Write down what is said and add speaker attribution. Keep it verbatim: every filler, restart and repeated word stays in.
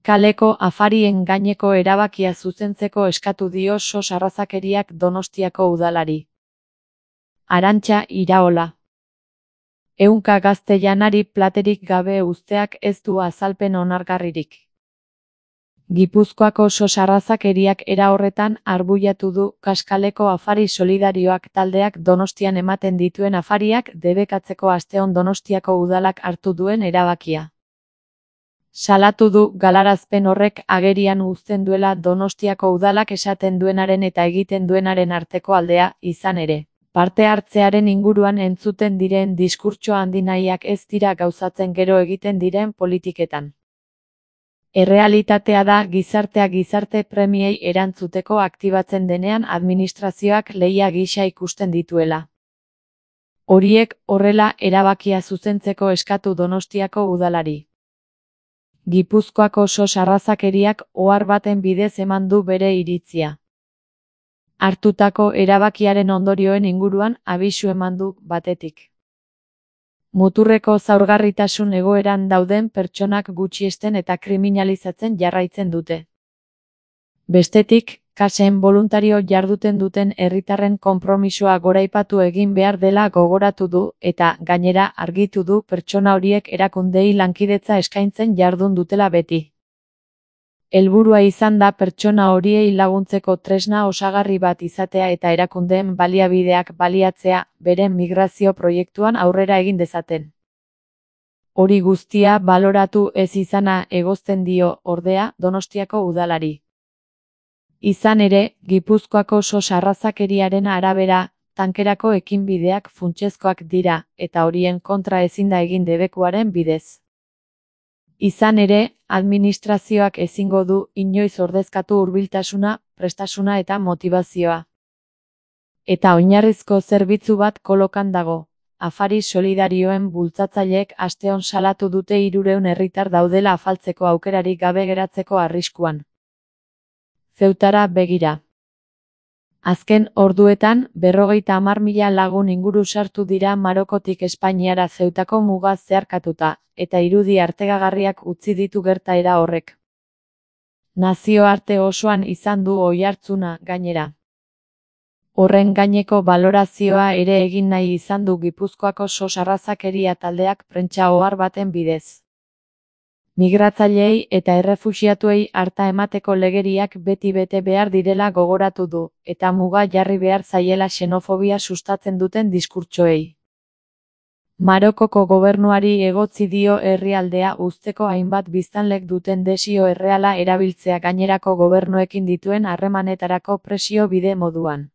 Speaker 1: Kaleko afarien gaineko erabakia zuzentzeko eskatu dio sos arrazakeriak Donostiako udalari. Arantxa Iraola. Ehunka gazte janari platerik gabe uzteak ez du azalpen onargarririk. Gipuzkoako sos arrazakeriak era horretan arbuiatu du Kaskaleko afari solidarioak taldeak Donostian ematen dituen afariak debekatzeko asteon Donostiako udalak hartu duen erabakia. Salatu du galarazpen horrek agerian uzten duela Donostiako udalak esaten duenaren eta egiten duenaren arteko aldea, izan ere. Parte hartzearen inguruan entzuten diren diskurtso handinahiak ez dira gauzatzen gero egiten diren politiketan. Errealitatea da gizartea gizarte premiei erantzuteko aktibatzen denean administrazioak lehia gisa ikusten dituela. Horiek horrela erabakia zuzentzeko eskatu Donostiako udalari. Gipuzkoako sos arrazakeriak ohar baten bidez eman du bere iritzia. Hartutako erabakiaren ondorioen inguruan abisu eman du batetik. Muturreko zaurgarritasun egoeran dauden pertsonak gutxiesten eta kriminalizatzen jarraitzen dute. Bestetik, kasen boluntario jarduten duten herritarren konpromisoa goraipatu egin behar dela gogoratu du eta, gainera, argitu du pertsona horiek erakundei lankidetza eskaintzen jardun dutela beti. Helburua izan da pertsona horiei laguntzeko tresna osagarri bat izatea eta erakundeen baliabideak baliatzea beren migrazio proiektuan aurrera egin dezaten. Hori guztia baloratu ez izana egozten dio, ordea, Donostiako udalari. Izan ere, Gipuzkoako sos arrazakeriaren arabera, tankerako ekinbideak funtsezkoak dira, eta horien kontra ezin da egin debekuaren bidez. Izan ere, administrazioak ezingo du inoiz ordezkatu hurbiltasuna, prestasuna eta motivazioa. Eta oinarrizko zerbitzu bat kolokan dago. Afari solidarioen bultzatzaileek asteon salatu dute hirurehun herritar daudela afaltzeko aukerarik gabe geratzeko arriskuan. Zeutara begira. Azken orduetan, berrogeita hamar mila lagun inguru sartu dira Marokotik Espainiara Zeutako muga zeharkatuta, eta irudi artegagarriak utzi ditu gertaera horrek. Nazioarte osoan izan du oihartzuna, gainera. Horren gaineko balorazioa ere egin nahi izan du Gipuzkoako sos arrazakeria taldeak prentsa ohar baten bidez. Migratzaileei eta errefuxiatuei arta emateko legeriak beti bete behar direla gogoratu du, eta muga jarri behar zaiela xenofobia sustatzen duten diskurtsoei. Marokoko gobernuari egotzi dio herrialdea uzteko hainbat biztanlek duten desio erreala erabiltzea gainerako gobernuekin dituen harremanetarako presio bide moduan.